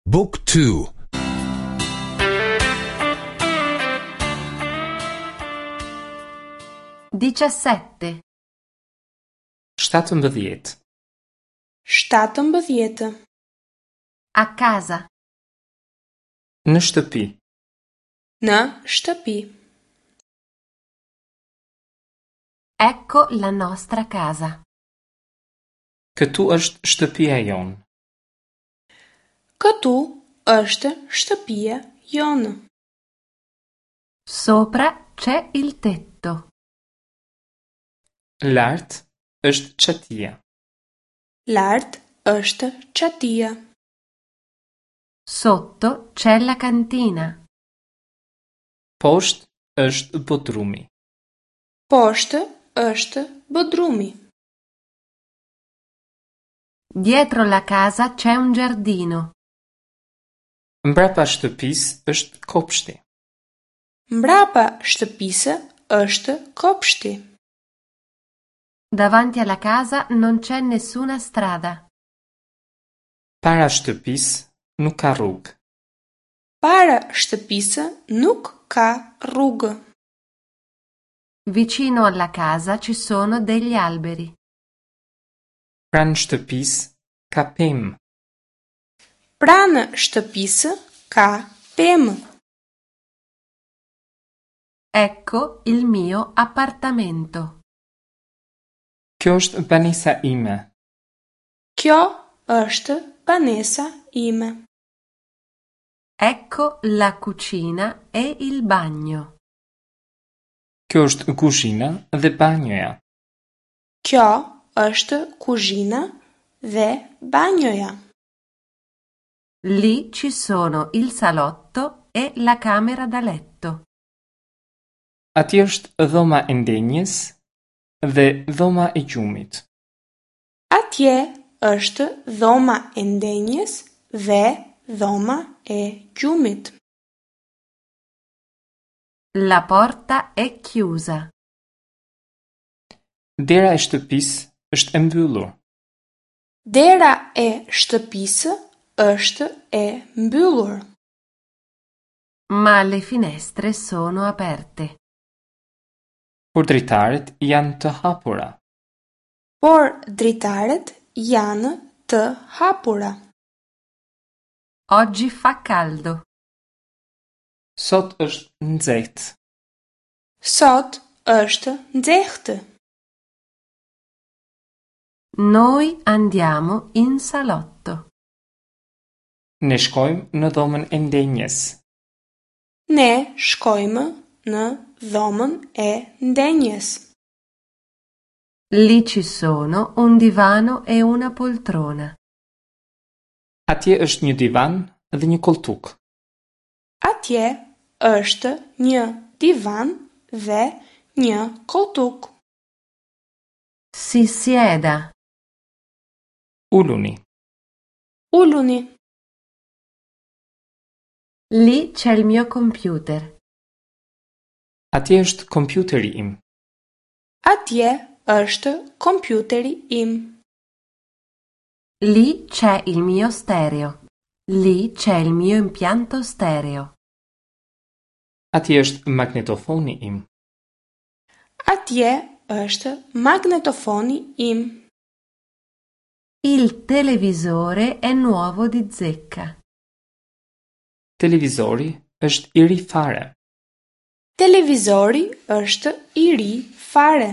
Book 2 17. 17. 17. A casa. Në shtëpi. Në shtëpi. Ecco la nostra casa. Këtu është shtëpia jonë. Këtu është shtëpia jonë. Sopra c'è il tetto. Lart është çatia. Lart është çatia. Sotto c'è la cantina. Poshtë është bodrumi. Poshtë është bodrumi. Dietro la casa c'è un giardino. Mbrapa shtëpisë është kopshti. Mbrapa shtëpisë është kopshti. Davanti alla casa non c'è nessuna strada. Para shtëpisë nuk ka rrugë. Para shtëpisë nuk ka rrugë. Vicino alla casa ci sono degli alberi. Pranë shtëpisë ka pemë. Pranë shtëpisë ka pemë. Ecco il mio appartamento. Kjo është banesa ime. Kjo është banesa ime. Ecco la cucina e il bagno. Kjo është kuzhina dhe banjoja. Kjo është kuzhina dhe banjoja. Lì ci sono il salotto e la camera da letto. Atje është dhoma e ndenjes dhe dhoma e gjumit. Atje është dhoma e ndenjes dhe dhoma e gjumit. La porta è chiusa. Dera e shtëpisë është e mbyllur. Dera e shtëpisë është e mbyllur. Ma le finestre sono aperte. Por dritaret janë të hapura. Por dritaret janë të hapura. Oggi fa caldo. Sot është nxehtë. Sot është nxehtë. Noi andiamo in salotto. Ne shkojmë në dhomën e ndenjes. Ne shkojmë në dhomën e ndenjes. Lì ci sono un divano e una poltrona. Atje është një divan dhe një koltuk. Atje është një divan dhe një koltuk. Si sieda. Uluni. Uluni. Lì c'è il mio computer. Atje është kompjuteri im. Atje është kompjuteri im. Lì c'è il mio stereo. Lì c'è il mio impianto stereo. Atje është magnetofoni im. Atje është magnetofoni im. Il televisore è nuovo di zecca. Televizori është i ri fare. Televizori është i ri fare.